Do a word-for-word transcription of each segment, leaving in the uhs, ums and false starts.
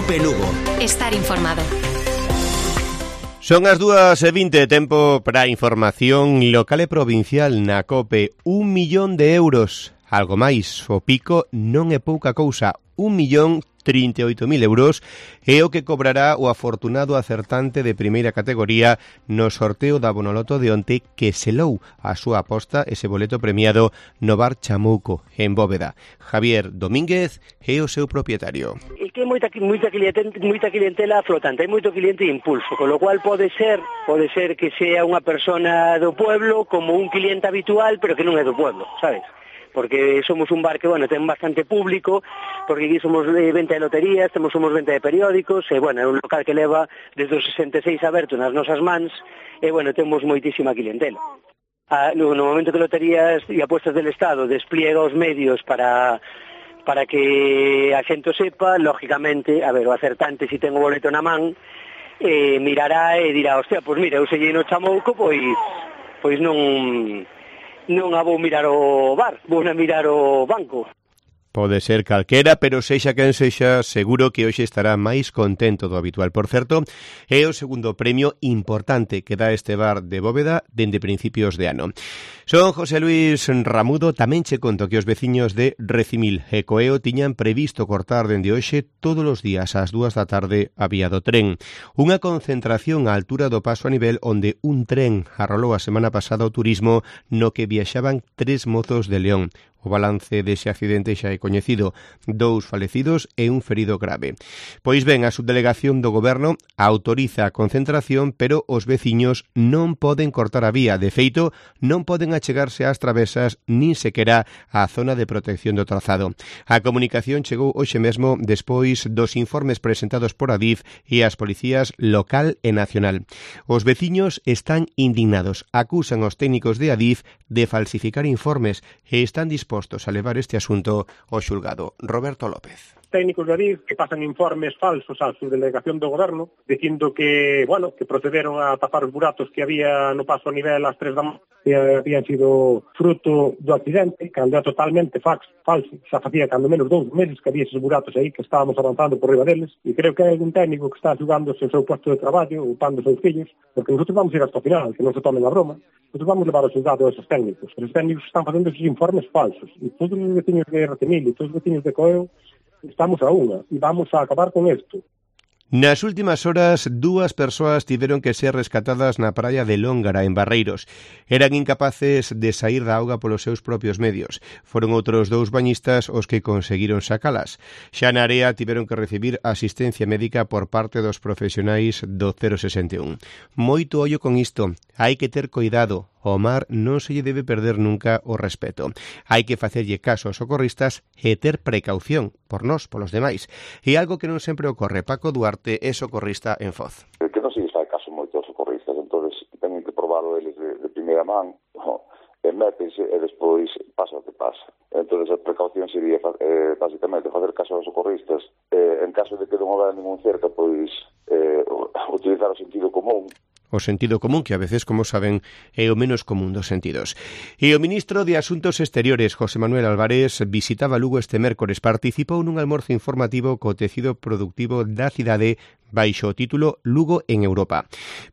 Cope Lugo. Estar informado. Son as dúas e vinte, tempo para información local e provincial na COPE. Un millón de euros, algo máis, o pico non é pouca cousa, un millón trinta e oito mil euros é o que cobrará o afortunado acertante de primeira categoría no sorteo da Bonoloto de onte que selou a súa aposta ese boleto premiado no bar Chamouco, en Bóveda. Javier Domínguez é o seu propietario. E que moita moita clientela, moita clientela flotante, hai moito cliente impulso, con lo cual pode ser, pode ser que sea unha persona do pueblo como un cliente habitual, pero que non é do pueblo, sabes? Porque somos un bar que, bueno, ten bastante público, porque aquí somos de venta de loterías, temos somos venta de periódicos, e, bueno, é un local que leva desde os sesenta e seis aberto nas nosas mans, e, bueno, temos moitísima clientela. Ah, no, no momento que Loterías e Apuestas del Estado despliega os medios para para que a xente sepa, lógicamente, a ver, o acertante, se ten o boleto na man, eh, mirará e dirá, hostia, pois mira, eu sellei no Chamouco, pois, pois non... non a vou mirar o bar, vou a mirar o banco. Pode ser calquera, pero sexa quen sexa, seguro que hoxe estará máis contento do habitual. Por certo, é o segundo premio importante que dá este bar de Bóveda dende principios de ano. Son José Luis Ramudo, tamén che conto que os veciños de Recimil e Coeo tiñan previsto cortar dende hoxe todos os días ás dúas da tarde a vía do tren. Unha concentración á altura do paso a nivel onde un tren arrolou a semana pasada o turismo no que viaxaban tres mozos de León. O balance dese accidente xa é coñecido, dous falecidos e un ferido grave. Pois ben, a subdelegación do Goberno autoriza a concentración, pero os veciños non poden cortar a vía. De feito, non poden achegarse ás travesas nin sequera á zona de protección do trazado. A comunicación chegou hoxe mesmo despois dos informes presentados por Adif e as policías local e nacional. Os veciños están indignados, acusan aos técnicos de Adif de falsificar informes e están dispostos a levar este asunto ao xulgado. Roberto López. Técnicos de Adif que pasan informes falsos á subdelegación do Goberno dicindo que, bueno, que procederon a tapar os buratos que había no paso a nivel ás tres da mañá, que habían sido fruto do accidente, cando é totalmente fax, falso. Xa facía cando menos dous meses que había esos buratos aí, que estábamos avanzando por riba deles, e creo que hai algún técnico que está xugándose o seu posto de traballo, upando os seus fillos, porque nosotros vamos ir hasta o final, que non se tomen a broma, nosotros vamos levar ao xulgado a esos técnicos. Os técnicos están facendo esos informes falsos, e todos os veciños de Recimil e todos os veciños de Coeo estamos a unha e vamos a acabar con isto. Nas últimas horas, dúas persoas tiveron que ser rescatadas na praia de Lóngara, en Barreiros. Eran incapaces de saír da auga polos seus propios medios. Foron outros dous bañistas os que conseguiron sacalas. Xa na area tiveron que recibir asistencia médica por parte dos profesionais do cero sesenta e un. Moito ollo con isto. Hai que ter cuidado. Ao mar non se lle debe perder nunca o respeto. Hai que facerlle caso aos socorristas e ter precaución por nós, polos demais. E algo que non sempre ocorre. Paco Duarte é socorrista en Foz. Que non se lle fai caso moito aos socorristas, entonces teñen que probarlo eles de, de primeira man, no, e métense e despois pasa o que pasa. Entonces a precaución sería eh, basicamente facer caso aos socorristas, eh, en caso de que non houver ningún cerca, pois eh, utilizar o sentido común. O sentido común, que a veces, como saben, é o menos común dos sentidos. E o ministro de Asuntos Exteriores, José Manuel Álvarez, visitaba Lugo este mércores. Participou nun almorzo informativo co tecido productivo da cidade baixo o título Lugo en Europa.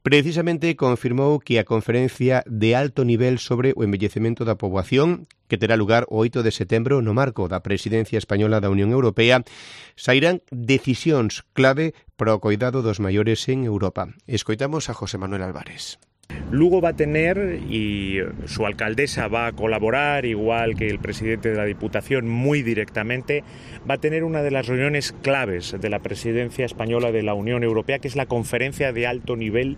Precisamente confirmou que a conferencia de alto nivel sobre o envellecemento da poboación, que terá lugar o oito de setembro no marco da presidencia española da Unión Europea, sairán decisións clave para o coidado dos maiores en Europa. Escoitamos a José Manuel Álvarez. Lugo va a tener, y su alcaldesa va a colaborar, igual que el presidente de la Diputación, muy directamente, va a tener una de las reuniones claves de la presidencia española de la Unión Europea, que es la conferencia de alto nivel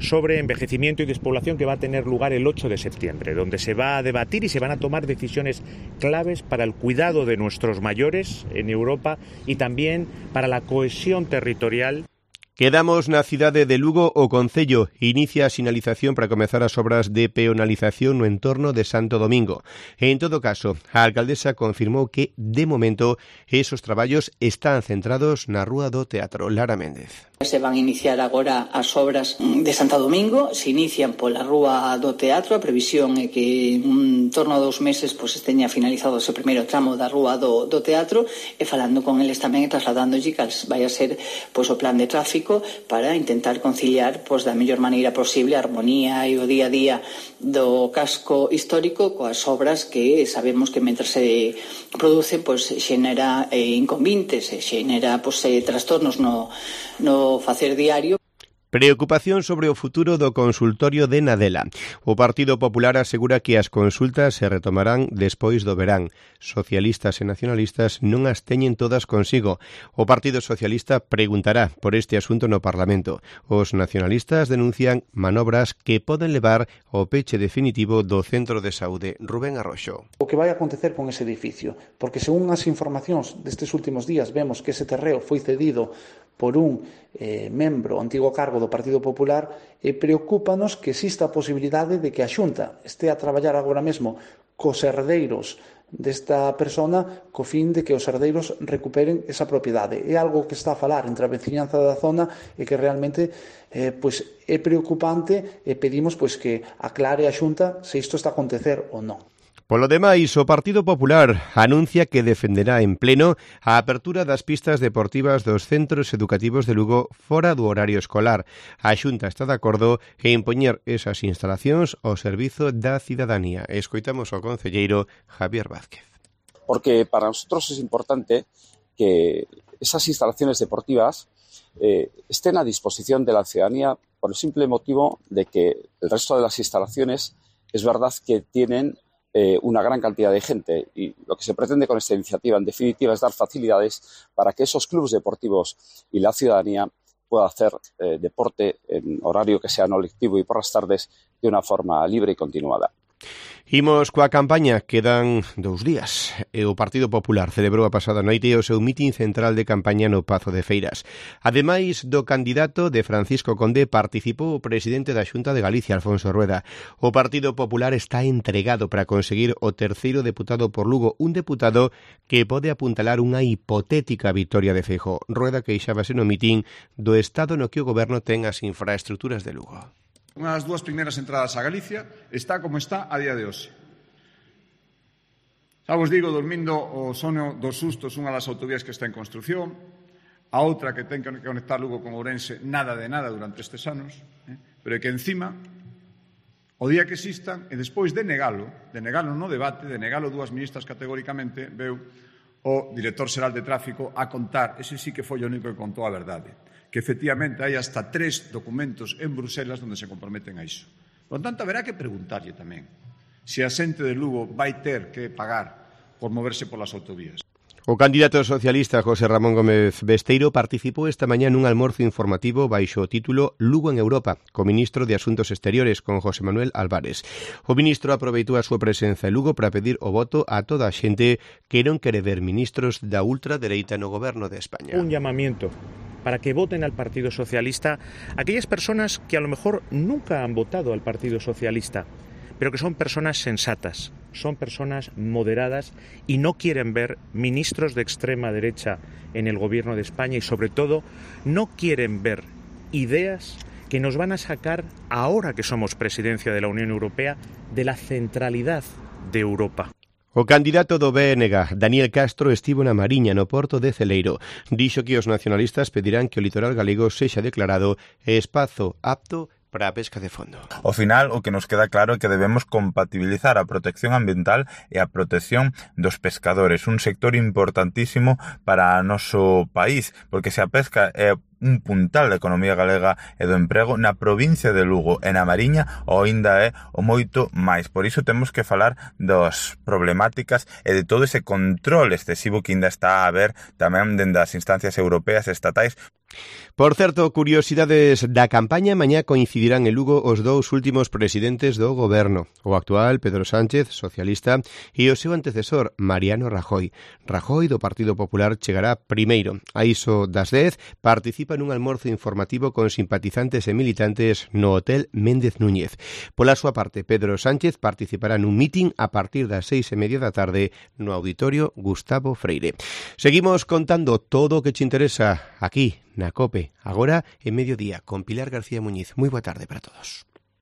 sobre envejecimiento y despoblación, que va a tener lugar el ocho de septiembre, donde se va a debatir y se van a tomar decisiones claves para el cuidado de nuestros mayores en Europa y también para la cohesión territorial. Quedamos na cidade de Lugo. O Concello inicia a sinalización para comezar as obras de peonalización no entorno de Santo Domingo. En todo caso, a alcaldesa confirmou que, de momento, esos traballos están centrados na Rúa do Teatro. Lara Méndez. Se van a iniciar agora as obras de Santo Domingo, se inician pola Rúa do Teatro, a previsión é que en torno a dous meses pois, teña finalizado ese primeiro tramo da Rúa do, do Teatro, e falando con eles tamén e trasladándolle cal vai a ser pois, o plan de tráfico para intentar conciliar pois, da mellor maneira posible a armonía e o día a día do casco histórico coas obras que sabemos que mentre se producen pois, xenera eh, inconvintes, xenera pois, eh, trastornos no, no facer diario. Preocupación sobre o futuro do consultorio de Nadela. O Partido Popular asegura que as consultas se retomarán despois do verán. Socialistas e nacionalistas non as teñen todas consigo. O Partido Socialista preguntará por este asunto no Parlamento. Os nacionalistas denuncian manobras que poden levar ao peche definitivo do Centro de Saúde. Rubén Arroxo. O que vai acontecer con ese edificio, porque según as informacións destes últimos días vemos que ese terreo foi cedido por un eh, membro, antigo cargo do Partido Popular, e preocúpanos que exista a posibilidade de que a Xunta este a traballar agora mesmo cos herdeiros desta persona co fin de que os herdeiros recuperen esa propiedade. É algo que está a falar entre a veciñanza da zona e que realmente eh, pois, é preocupante, e pedimos pois, que aclare a Xunta se isto está a acontecer ou non. Polo demais, o Partido Popular anuncia que defenderá en pleno a apertura das pistas deportivas dos centros educativos de Lugo fora do horario escolar. A Xunta está de acordo en poñer esas instalacións ao servizo da cidadanía. Escoitamos ao concelleiro Javier Vázquez. Porque para nosotros es importante que esas instalaciones deportivas eh, estén a disposición de la ciudadanía por el simple motivo de que el resto de las instalaciones es verdad que tienen Eh, una gran cantidad de gente, y lo que se pretende con esta iniciativa en definitiva es dar facilidades para que esos clubes deportivos y la ciudadanía pueda hacer eh, deporte en horario que sea no lectivo y por las tardes de una forma libre y continuada. Imos coa campaña, quedan dous días. E o Partido Popular celebrou a pasada noite o seu mitin central de campaña no Pazo de Feiras. Ademais do candidato de Francisco Conde, participou o presidente da Xunta de Galicia, Alfonso Rueda. O Partido Popular está entregado para conseguir o terceiro deputado por Lugo, un deputado que pode apuntalar unha hipotética vitoria de Feijóo. Rueda queixábase no mitin do estado no que o goberno ten as infraestructuras de Lugo. Unha das dúas primeiras entradas a Galicia está como está a día de hoxe. Xa vos digo, dormindo o sono dos sustos, unha das autovías que está en construción, a outra que ten que conectar Lugo con Ourense, nada de nada durante estes anos, eh? pero é que encima, o día que existan, e despois de negalo, de negalo no debate, de negalo dúas ministras categóricamente, veu o director xeral de tráfico a contar, ese sí que foi o único que contou a verdade, que efectivamente hai hasta tres documentos en Bruselas onde se comprometen a iso. Por lo tanto, haberá que preguntarlle tamén se a xente de Lugo vai ter que pagar por moverse polas autovías. O candidato socialista José Ramón Gómez Besteiro participou esta mañá nun almorzo informativo baixo o título Lugo en Europa, co ministro de Asuntos Exteriores, con José Manuel Álvarez. O ministro aproveitou a súa presenza en Lugo para pedir o voto a toda a xente que non quere ver ministros da ultradereita no goberno de España. Un llamamiento para que voten al Partido Socialista aquellas personas que a lo mejor nunca han votado al Partido Socialista, pero que son personas sensatas, son personas moderadas y no quieren ver ministros de extrema derecha en el gobierno de España y sobre todo no quieren ver ideas que nos van a sacar, ahora que somos presidencia de la Unión Europea, de la centralidad de Europa. O candidato do B N G, Daniel Castro, estivo na Mariña, no porto de Celeiro. Dixo que os nacionalistas pedirán que o litoral galego sexa declarado espazo apto para a pesca de fondo. Ao final, o que nos queda claro é que debemos compatibilizar a protección ambiental e a protección dos pescadores, un sector importantísimo para o noso país, porque se a pesca é un puntal da economía galega e do emprego na provincia de Lugo e na Mariña, o aínda é o moito máis. Por iso temos que falar das problemáticas e de todo ese control excesivo que ainda está a haber tamén dende as instancias europeas e estatais. Por certo, curiosidades da campaña, mañá coincidirán en Lugo os dous últimos presidentes do goberno, o actual Pedro Sánchez, socialista, e o seu antecesor, Mariano Rajoy. Rajoy, do Partido Popular, chegará primeiro. A iso das dez, participa nun almorzo informativo con simpatizantes e militantes no Hotel Méndez Núñez. Pola súa parte, Pedro Sánchez participará nun mitin a partir das seis e media da tarde no Auditorio Gustavo Freire. Seguimos contando todo o que te interesa aquí, na COPE, agora en mediodía, con Pilar García Muñiz. Moi boa tarde para todos.